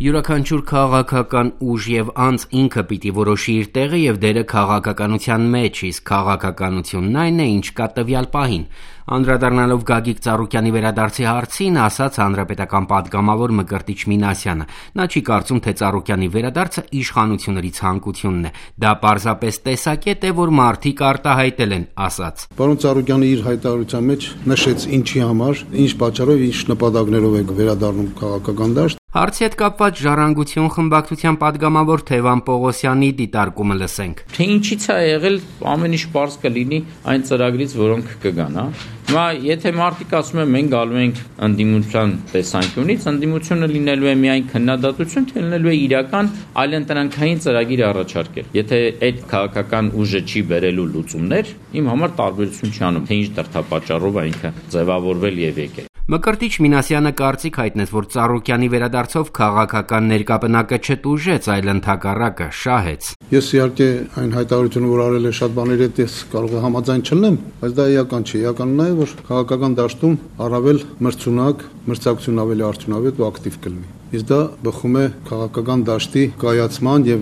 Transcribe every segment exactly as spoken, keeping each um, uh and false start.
Յուրաքանչյուր քաղաքական ուժ եւ անձ ինքը պիտի որոշի իր տեղը եւ դերը քաղաքականության մեջ, իսկ քաղաքականությունն այն է, ինչ կա տվյալ պահին։ Անդրադառնալով Գագիկ Ծառուկյանի վերադարձի հարցին, ասաց հանրապետական պատգամավոր Մկրտիչ Մինասյանը։ Նա չի կարծում, թե Ծառուկյանի վերադարձը իշխանությունների ցանկությունն է։ Դա պարզապես տեսակետ է, որ մարդիկ արտահայտել են, ասաց։ Պարոն Ծառուկյանը իր հայտարարության մեջ նշեց ինչի համար, ինչ պատճառով, ինչ նպատակներով է վերադառնում քաղաքական դաշտ։ Հարցի հետ կապված Ժառանգություն խմբակցության պատգամավոր Թևան Պողոսյանի դիտարկումը լսենք։ Թե ինչից է եղել, ամեն ինչ պարզ կլինի այն ծրագրից, որոնք կգան, հա։ Հիմա եթե մարդիկ ասում են մենք գալու ենք ընդդիմության տեսանկյունից, ընդդիմությունը լինելու է միայն քննադատություն, թե լինելու է իրական այլընտրանքային ծրագիր առաջարկել։ Եթե այդ քաղաքական ուժը չի բերելու լուծումներ, իմ համար տարբերություն չի անում, թե ինչ դրդապատճառով է ինքը ձևավորվել եւ եկել։ Մկրտիչ Մինասյանը կարծիք հայտնեց, որ Ծառուկյանի վերադարձով քաղաքական ներկապնակը չտուժեց, այլ ընդհակառակը շահեց։ Ես իհարկե այն հայտարարությունը, որ արել է շատ բաների հետ, ես կարող եմ համաձայն չլինեմ, բայց դա էական չէ։ Էականն է, որ քաղաքական դաշտում առավել մրցունակ, մրցակցություն ավելի արդյունավետ ու ակտիվ կլինի։ Իսկ դա բխում է քաղաքական դաշտի կայացման եւ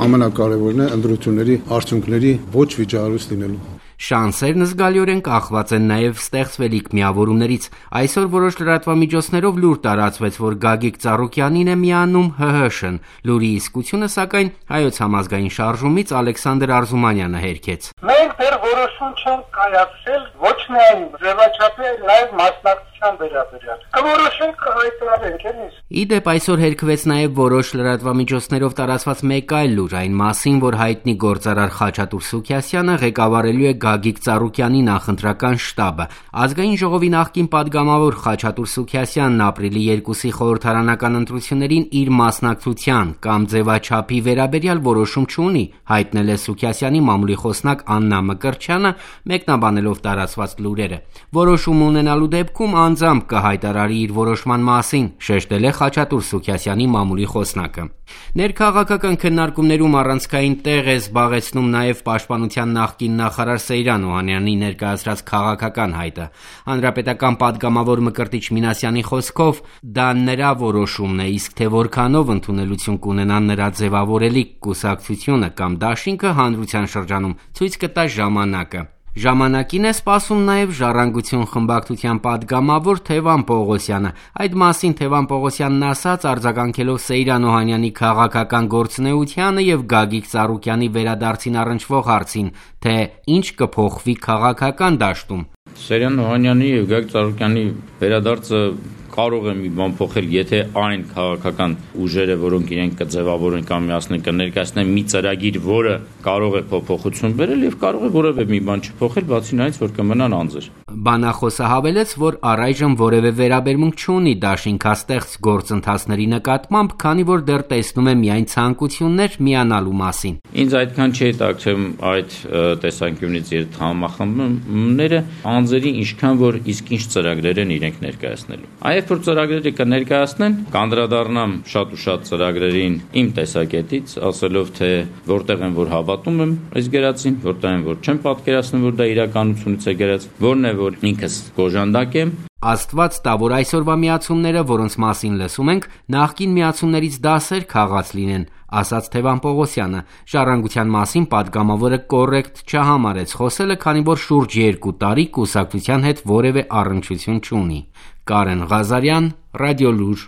ամենակարևորն է ընտրությունների արդյունքների ոչ վիճահարույց լինելու։ Շանսերն զգալիորեն կախված են նաև ստեղծվելիք միավորումներից։ Այսօր որոշ լրատվամիջոցներով լուր տարածվեց, որ Գագիկ Ծառուկյանին է միանում ՀՀՇ-ն։ Լուրի իսկությունը, սակայն, Հայոց համազգային շարժումից Ալեքսանդր Արզումանյանը հերքեց։ Մենք դեռ որոշում չենք կայացրել ոչ միայն ձևաչափի, այլ նաև մասնակցության վերաբերյալ։ Կորոշենք հայտարարենք, էլի։ Իդեպ այսօր հերքվեց նաև որոշ լրատվամիջոցներով տարածված մեկ այլ լուր, այն մասին, որ հայտնի գործարար Խաչատուր Սուքիասյանը ղեկավարելու է Գագիկ Ծառուկյանի նախընտրական շտաբը։ Ազգային ժողովի նախկին պատգամավոր Խաչատուր Սուքիասյանն ապրիլի երկուսի խորհրդարանական ընտրություններին իր մասնակցության կամ ձևաչափի վերաբերյալ որոշում չունի, հայտնել է Սուքիասյանի մամուլի խոսնակ Աննա Մկրտչյանը, մեկնաբանելով տարածված լուրերը։ Որոշում ունենալու դեպքում անձամբ կհայտարարի իր որոշման մասին, շեշտել է Խաչատուր Սուքիասյանի մամուլի խոսնակը։ Ներքաղաքական քննարկումներում առանցքային տեղ է զբաղեցնում նաև Պաշտպանության նախկին նախարար Սեյրան Օհանյանի ներկայացրած քաղաքական հայտը։ Հանրապետական պատգամավոր Մկրտիչ Մինասյանի խոսքով դա նրա որոշումն է, իսկ թե որքանով ընդունելություն կունենա նրա ձևավորելիք կուսակցությունը կամ դաշինքը հանրության շրջանում ցույց կտա ժամանակը։ Ժամանակին է սպասում նաև Ժառանգություն խմբակցության պատգամավոր Թևան Պողոսյանը։ Այդ մասին Թևան Պողոսյանն ասաց, արձագանքելով Սեյրան Օհանյանի քաղաքական գործունեությանը եւ Գագիկ Ծառուկյանի վերադարձին առնչվող հարցին, թե ինչ կփոխվի քաղաքական դաշտում։ Սեյրան Օհանյանի եւ Գագիկ Ծառուկյանի վերադարձը կարող է մի բան փոխել, եթե այն քաղաքական ուժերը, որոնք իրենք կձևավորեն կամ միասին կներկայացնեն մի ծրագիր, որը կարող է փոփոխություն բերել եւ կարող է որևէ մի բան չփոխել, բացի նրանից, որ կմնան անձեր։ Բանախոսը հավելեց, որ առայժմ որևէ վերաբերմունք չունի դաշինքաստեղծ գործընթացների նկատմամբ, քանի որ դեռ տեսնում է միայն ցանկություններ միանալու մասին։ Ինձ այդքան չի հետաքրքրում այդ տեսանկյունից իր համախմբումները, անձերի ինչքան որ իսկ ինչ ծրագրեր են իրենք ներկայացնելու։ Այո, որ ծրագրերը կներկայացնեն, կանդրադառնամ շատ ու շատ ծրագրերին իմ տեսակետից, ասելով թե որտեղ են որ հավատում եմ այս գերացին, որտեղ են որ չեմ պատկերացնում, որ դա իրականությունից է գերած, որն է որ ինքս գոժանդակ եմ։ Աստված տա, որ այսօրվա միացումները, որոնց մասին լսում ենք, նախկին միացումներից դասեր քաղած լինեն, ասաց Թևան Պողոսյանը։ Ժառանգության մասին պատգամավորը կոռեկտ չհամարեց խոսելը, քանի որ շուրջ երկու տարի կուսակցության հետ որևէ առնչություն չունի։ Կարեն Ղազարյան, Ռադիոլուր։